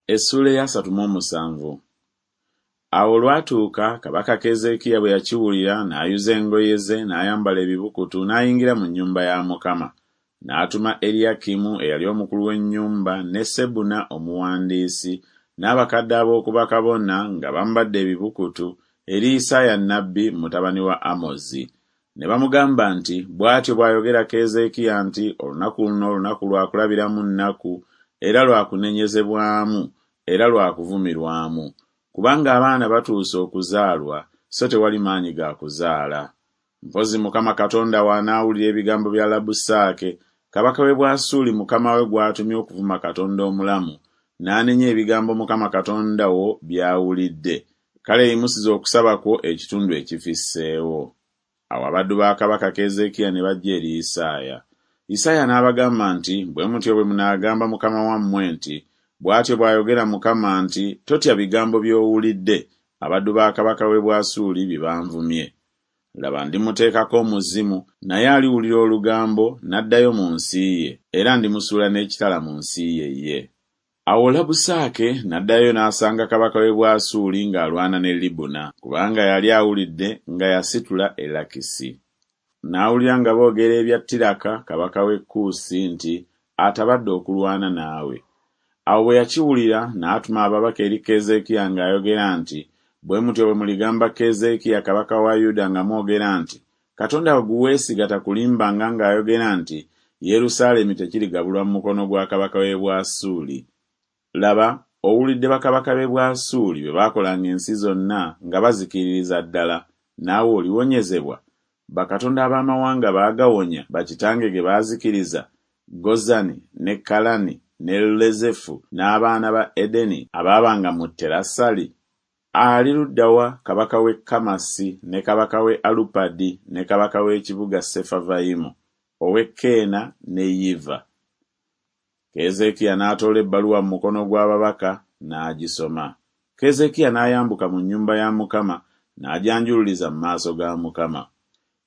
Essuula ey'asatu mu omusanvu. Awo olwatuuka kabaka Keezeekiya bwe yakiwulira, n'ayuza engoye ze, n'ayambala ebibukutu, n'ayingira mu nnyumba ya Mukama. N'atuma Eriyakimu eyali omukulu w'ennyumba ne Sebuna omuwandiisi n'abakadde ab'oku bakabona nga bambadde ebibukutu eri Isaaya nnabbi mutabani wa Amozi. Ne bamugamba nti, Bw'atyo bw'ayogera Keezeekiya nti, Olunaku luno lunaku lwa kulabiramu nnaku era lwa kunenyezebwamu era lwa kuvumirwamu, kubanga abaana batuuse okuzaalwa, so tewali maanyi ga kuzaala. Mpozzi Mukama Katonda wo anaawulira ebigambo bya Labusaake kabaka w'e Bwasuuli mukama we gw'atumye okuvuma Katonda omulamu, n'anenya ebigambo Mukama Katonda wo by'awulidde, kale yimusiza okusaba kwo ekitundu ekifisseewo. Awo abaddu ba kabaka Keezeekiya ne bajja eri Isaaya. Isaaya n'abagamba nti, Bwe mutyo bwe munaagamba mukama wammwe nti, 'Bw'atyo bw'ayogera Mukama nti, Totya bigambo by'owulidde, abaddu ba kabaka w'e Bwasuuli bye banvumye. Laba ndimuteekako omuzimu, naye aliwulira olugambo n'addayo mu nsi ye, era ndimusuula n'ekitala mu nsi ye ye. Awo Labusaake n'addayo n'asanga kabaka w'e Bwasuuli ng'alwana ne Libuna, kubanga yali awulidde nga yasitula e Lakisi. N'awulira nga boogera ebya Tiraka kabaka w'e Kuusi nti atabadde okulwana naawe. Awo bwe yakiwulira n'atuma ababaka eri Keezeekiya ng'ayogera nti, Bwe mutyo bwe muligamba Keezeekiya kabaka wa Yuda nga mwogera nti, Katonda wo gwe weesiga takulimbanga ng'ayogera nti, Yerusaalemi tekirigabulwa mu mukono gwa kabaka w'e Bwasuuli. Laba, owulidde bakabaka b'e Bwasuuli bwe baakolanga ensi zonna nga bazikiririza ddala, naawe oliwonyezebwa? Bakatonda ab'amawanga baagawonya bakitange ge baazikiriza, Gozani ne Kalani ne Lezefu n'abaana ba Edeni abaabanga mu Terasali? Ali ludda wa kabaka w'e Kamasi ne kabaka w'e Alupadi ne kabaka w'ekibuga Sefavayimu, ow'e Keena ne Yiva? Keezeekiya n'atoola ebbaluwa mu mukono gw'ababaka n'agisoma. Keezeekiya n'ayambuka mu nnyumba ya Mukama n'agyanjululiza mu maaso ga Mukama.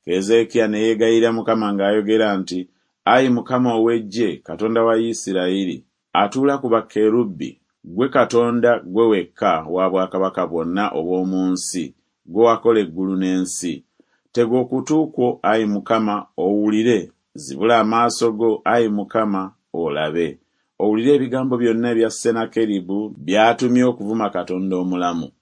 Keezeekiya ne yeegayirira Mukama ng'ayogera nti, Ayi Mukama ow'Eggye, Katonda wa Isirayiri, atuula ku bakerubi, ggwe Katonda ggwe wekka wa bwakabaka bwonna obw'omu nsi, ggwe wakola eggulu n'ensi. Tega okutu kwo, ayi Mukama, owulire, zibula amaaso go, ayi Mukama, olabe, owulire ebigambo byonna ebya Sennakeribu by'atumye okuvuma Katonda omulamu.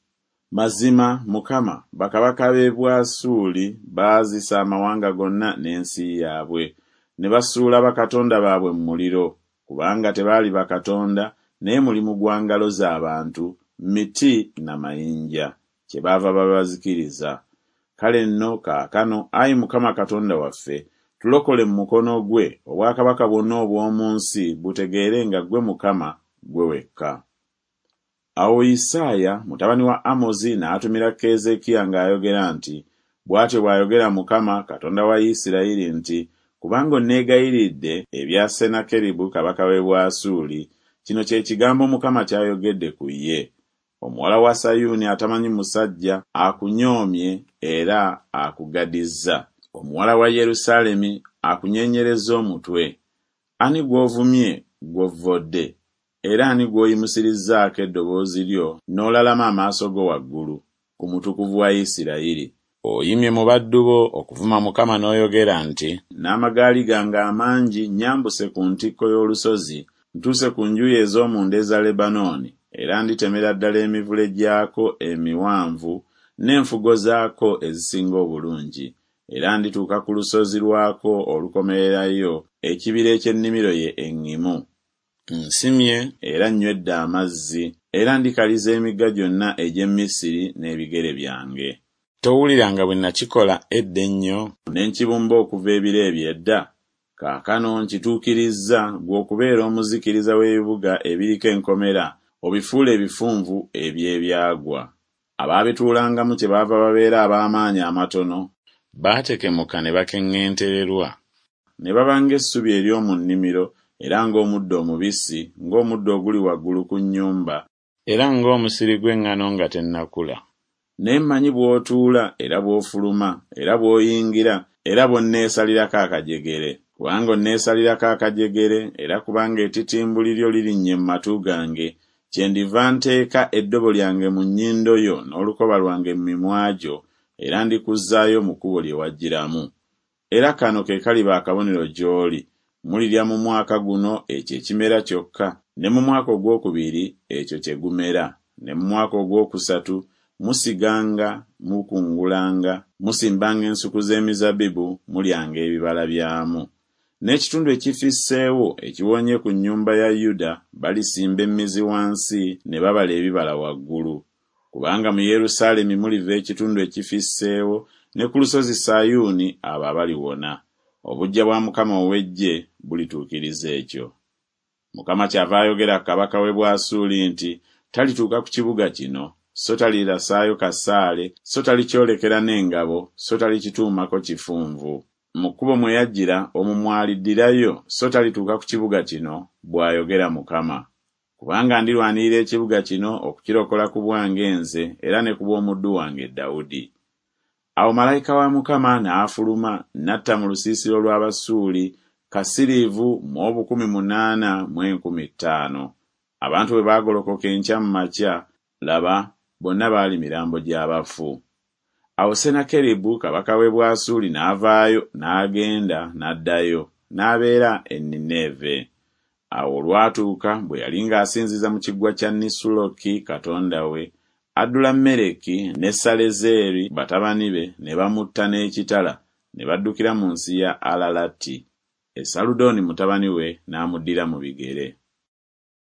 Mazima, Mukama, bakabaka b'e Bwasuuli baazisa amawanga gonna n'ensi yaabwe, ne basuula bakatonda baabwe mu muliro, kubanga tebaali bakatonda, naye mulimu gwa ngalo za bantu, miti na mayinja, kyebaava babazikiriza. Kale nno kaakano, ayi Mukama Katonda waffe, tulokole mu mukono gwe, obwakabaka bwonna obw'omu nsi butegeere nga ggwe Mukama, ggwe wekka. Awo Isaaya mutabani wa Amozi n'atumira Keezeekiya ng'ayogera nti, Bw'atyo bw'ayogera Mukama, Katonda wa Isirayiri nti, Kubanga onneegayiridde ebya Sennakeribu kabaka w'e Bwasuuli, kino kye kigambo Mukama ky'ayogedde ku ye, Omuwala wa Sayuuni atamanyi musajja akunyoomye era akugadizza. Omuwala wa Yerusaalemi akunyeenyerezza omutwe. Ani gw'ovumye gw'ovvodde? Era ani gw'oyimusirizzaako eddoboozi lyo n'olalama amaaso go waggulu, ku Mutukuvu wa Isirayiri? Oyimye mu baddu bo okuvuma Mukama n'oyogera nti. N'amagaali gange amangi nnyambuse ku ntikko y'olusozi, ntuuse ku njuyi ez'omunda eza Lebanooni, era nditemera ddala emivule gyako emiwanvu n'enfugo zaako ezisinga obulungi, era ndituuka ku lusozi lwako olukomererayo, ekibira eky'ennimiro ye eŋŋimu. Nsimye era nnywedde amazzi, era ndikaliza emigga gyonna egy'e Misiri n'ebigere byange. Towulira nga bwe nakikola edda ennyo? Ne nkibumba okuva ebiro eby'edda? Kaakano nkituukirizza, ggwe okubeera omuzikiriza w'ebibuga ebiriko enkomera, obifuule ebifunvu eby'ebyagwa. Abaabituulangamu kyebaava babeera ab'amaanyi amatono. Baatekemuka ne bakeŋŋentererwa. Ne baba ng'essubi ery'omu nnimiro, era ng'omuddo omubisi, ng'omuddo oguli waggulu ku nnyumba. Era ng'omusiri gw'eŋŋano nga tennakula. Naye mmanyi bw'otuula era bw'ofuluma, era bw'oyingira, era bw'onneesalirako akajegere. Kubanga onneesalirako akajegere, era kubanga ettitimbuli lyo lirinnye mu matu gange, Kyendiva nteeka eddobo lyange mu nnyindo yo n'olukoba lwange mu mimwa gyo, era ndikuzzaayo mu kkubo lye wajjiramu. Era kano ke kaliba akabonero gy'oli, mulirya mu mwaka guno ekyo ekimera kyokka, ne mu mwaka ogwokubiri ekyo kye gumera, ne mu mwaka ogwokusatu musiganga, mukungulanga, musimbanga ensuku z'emizabbibu, mulyanga ebibala byamu. N'ekitundu ekifisseewo ekiwonye ku nnyumba ya Yuda balisimba emmizi wansi ne babala ebibala waggulu. Kubanga mu Yerusaalemi muliva ekitundu ekifisseewo, ne ku lusozi Sayuuni abo abaliwona. Obuggya bwa Mukama ow'eggye bulituukiriza ekyo. Mukama kyava ayogera ku kabaka w'e Bwasuuli nti, Talituuka ku kibuga kino, so talirasaayo kasaale, so talikyolekera n'engabo, so talikituumako kifunvu. Mu kkubo mwe yajjira omwo mw'aliddirayo, so talituuka ku kibuga kino, bw'ayogera Mukama. Kubanga ndirwanirira ekibuga kino okukirokola ku bwange nze era ne ku bw'omuddu wange Dawudi. Awo malayika wa Mukama n'afuluma n'atta mu lusiisira olw'Abasuuli kasiriivu mu 800 mu 5,000. Abantu bwe baagolokoka enkya mu makya, laba, bonna baali mirambo gy'abafu. Awo Sennakeribu kabaka w'e Bwasuuli n'avaayo n'agenda n'addayo, n'abeera e Nineeve. Awo olwatuuka bwe yali ng'asinziza mu kiggwa kya Nisuloki katonda we, Adulammereki ne Salezeeri batabani be ne bamutta n'ekitala ne baddukira mu nsi ya Alalati. Esaludooni mutabani we n'amuddira mu bigere.